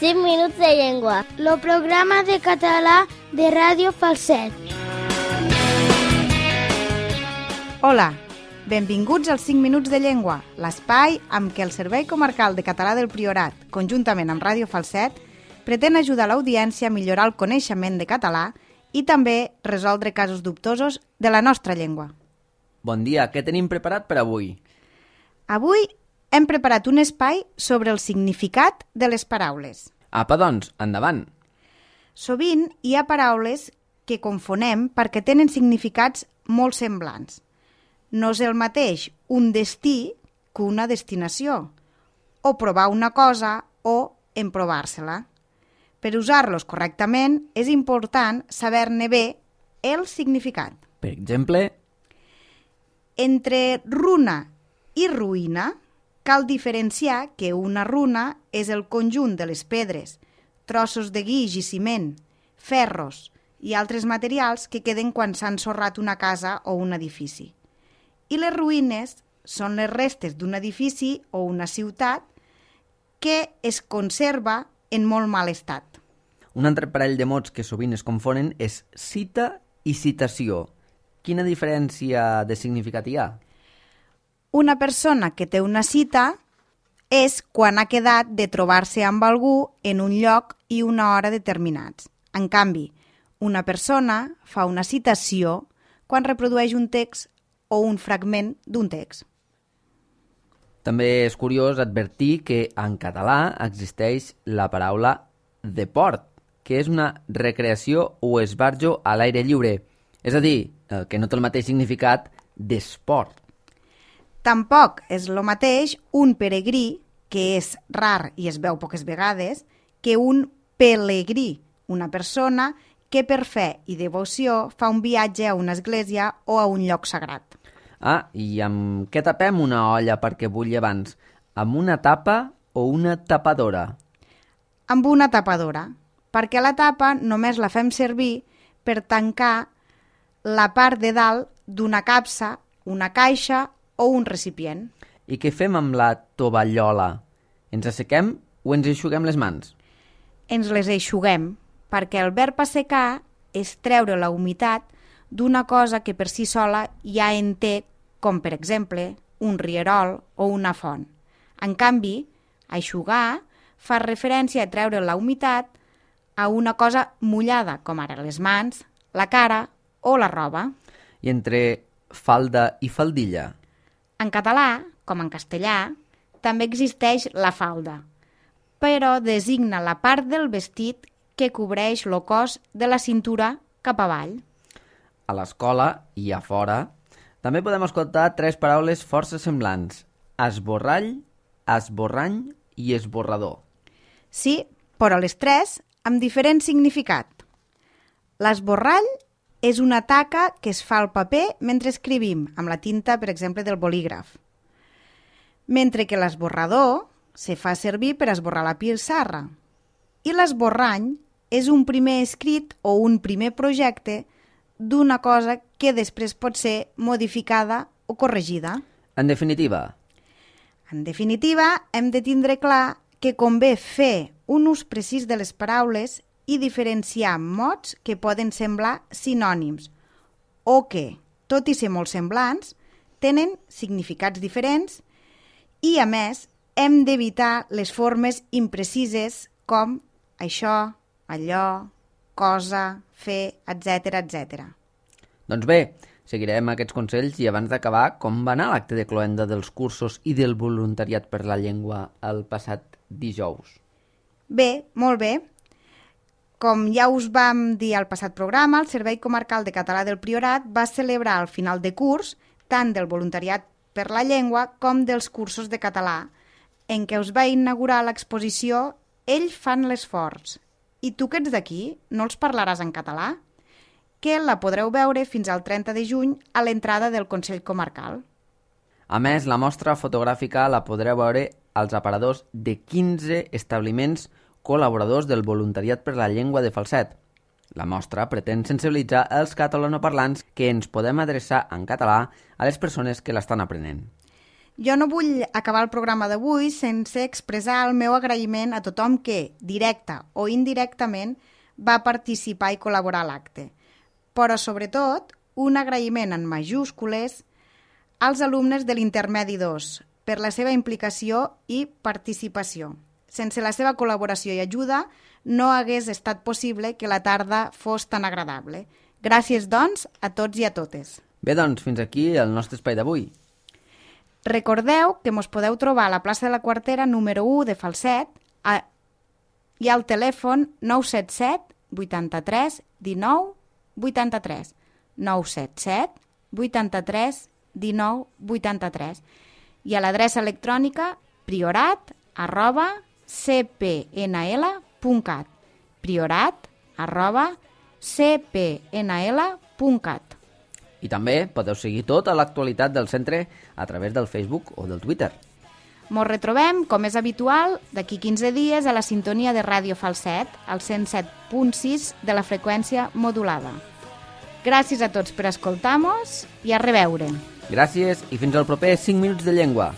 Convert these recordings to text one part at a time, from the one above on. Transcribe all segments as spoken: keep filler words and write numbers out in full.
cinc minuts de llengua. El programa de català de Ràdio Falset. Hola, benvinguts als cinc minuts de llengua, l'espai amb què el Servei Comarcal de Català del Priorat, conjuntament amb Ràdio Falset, pretén ajudar l'audiència a millorar el coneixement de català i també resoldre casos dubtosos de la nostra llengua. Bon dia, què tenim preparat per avui? Avui hem preparat un espai sobre el significat de les paraules. Apa, doncs, endavant. Sovint hi ha paraules que confonem perquè tenen significats molt semblants. No és el mateix un destí que una destinació, o provar una cosa o emprovar-se-la. Per usar-los correctament és important saber-ne bé el significat. Per exemple, entre runa i ruïna cal diferenciar que una runa és el conjunt de les pedres, trossos de guix i ciment, ferros i altres materials que queden quan s'ha ensorrat una casa o un edifici. I les ruïnes són les restes d'un edifici o una ciutat que es conserva en molt mal estat. un altre parell de mots que sovint es confonen és cita i citació. Quina diferència de significat hi ha? Una persona que té una cita és quan ha quedat de trobar-se amb algú en un lloc i una hora determinats. En canvi, una persona fa una citació quan reprodueix un text o un fragment d'un text. També és curiós advertir que en català existeix la paraula deport, que és una recreació o esbarjo a l'aire lliure, és a dir, que no té el mateix significat d'esport. Tampoc és el mateix un peregrí, que és rar i es veu poques vegades, que un pelegrí, una persona que per fe i devoció fa un viatge a una església o a un lloc sagrat. Ah, i amb què tapem una olla perquè bulli abans? Amb una tapa o una tapadora? Amb una tapadora, perquè la tapa només la fem servir per tancar la part de dalt d'una capsa, una caixa o un recipient. I què fem amb la tovallola? Ens assequem o ens eixuguem les mans? Ens les eixuguem, perquè el verb assecar és treure la humitat d'una cosa que per si sola ja en té, com per exemple un rierol o una font. En canvi, eixugar fa referència a treure la humitat a una cosa mullada, com ara les mans, la cara o la roba. I entre falda i faldilla? En català, com en castellà, també existeix la falda, però designa la part del vestit que cobreix el cos de la cintura cap avall. A l'escola i a fora també podem escoltar tres paraules força semblants: esborrall, esborrany i esborrador. Sí, però les tres amb diferent significat. L'esborrall és una taca que es fa al paper mentre escrivim, amb la tinta, per exemple, del bolígraf. Mentre que l'esborrador se fa servir per esborrar la pissarra. I l'esborrany és un primer escrit o un primer projecte d'una cosa que després pot ser modificada o corregida. En definitiva? En definitiva, hem de tindre clar que convé fer un ús precís de les paraules i diferenciar mots que poden semblar sinònims o que, tot i ser molt semblants, tenen significats diferents i, a més, hem d'evitar les formes imprecises com això, allò, cosa, fer, etcètera, etcètera. Doncs bé, seguirem aquests consells i abans d'acabar, com va anar l'acte de cloenda dels cursos i del voluntariat per la llengua el passat dijous? Bé, molt bé. Com ja us vam dir al passat programa, el Servei Comarcal de Català del Priorat va celebrar al final de curs tant del voluntariat per la llengua com dels cursos de català, en què us va inaugurar l'exposició Ells fan l'esforç. I tu que ets d'aquí, no els parlaràs en català? Que la podreu veure fins al trenta de juny a l'entrada del Consell Comarcal. A més, la mostra fotogràfica la podreu veure als aparadors de quinze establiments col·laboradors del voluntariat per la llengua de Falset. La mostra pretén sensibilitzar els catalanoparlants que ens podem adreçar en català a les persones que l'estan aprenent. Jo no vull acabar el programa d'avui sense expressar el meu agraïment a tothom que, directa o indirectament, va participar i col·laborar a l'acte. Però, sobretot, un agraïment en majúscules als alumnes de l'Intermedi dos per la seva implicació i participació. Sense la seva col·laboració i ajuda no hagués estat possible que la tarda fos tan agradable. Gràcies, doncs, a tots i a totes. Bé, doncs, fins aquí el nostre espai d'avui. Recordeu que mos podeu trobar a la plaça de la Quartera número u de Falset a... i al telèfon nou set set vuitanta-tres dinou vuitanta-tres nou set set vuitanta-tres dinou vuitanta-tres i a l'adreça electrònica priorat arroba c p n l punt cat priorat arroba c p n l punt cat. I també podeu seguir tota l'actualitat del centre a través del Facebook o del Twitter. Mos retrobem, com és habitual, d'aquí quinze dies a la sintonia de Ràdio Falset, al cent set punt sis de la freqüència modulada. Gràcies a tots per escoltar-nos i a reveure. Gràcies i fins al proper cinc minuts de llengua.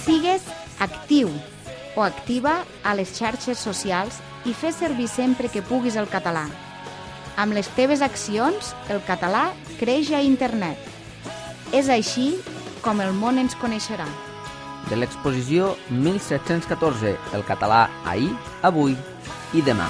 Sigues actiu o activa a les xarxes socials i fes servir sempre que puguis el català. Amb les teves accions, el català creix a internet. És així com el món ens coneixerà. De l'exposició mil set-cents catorze, el català ahir, avui i demà.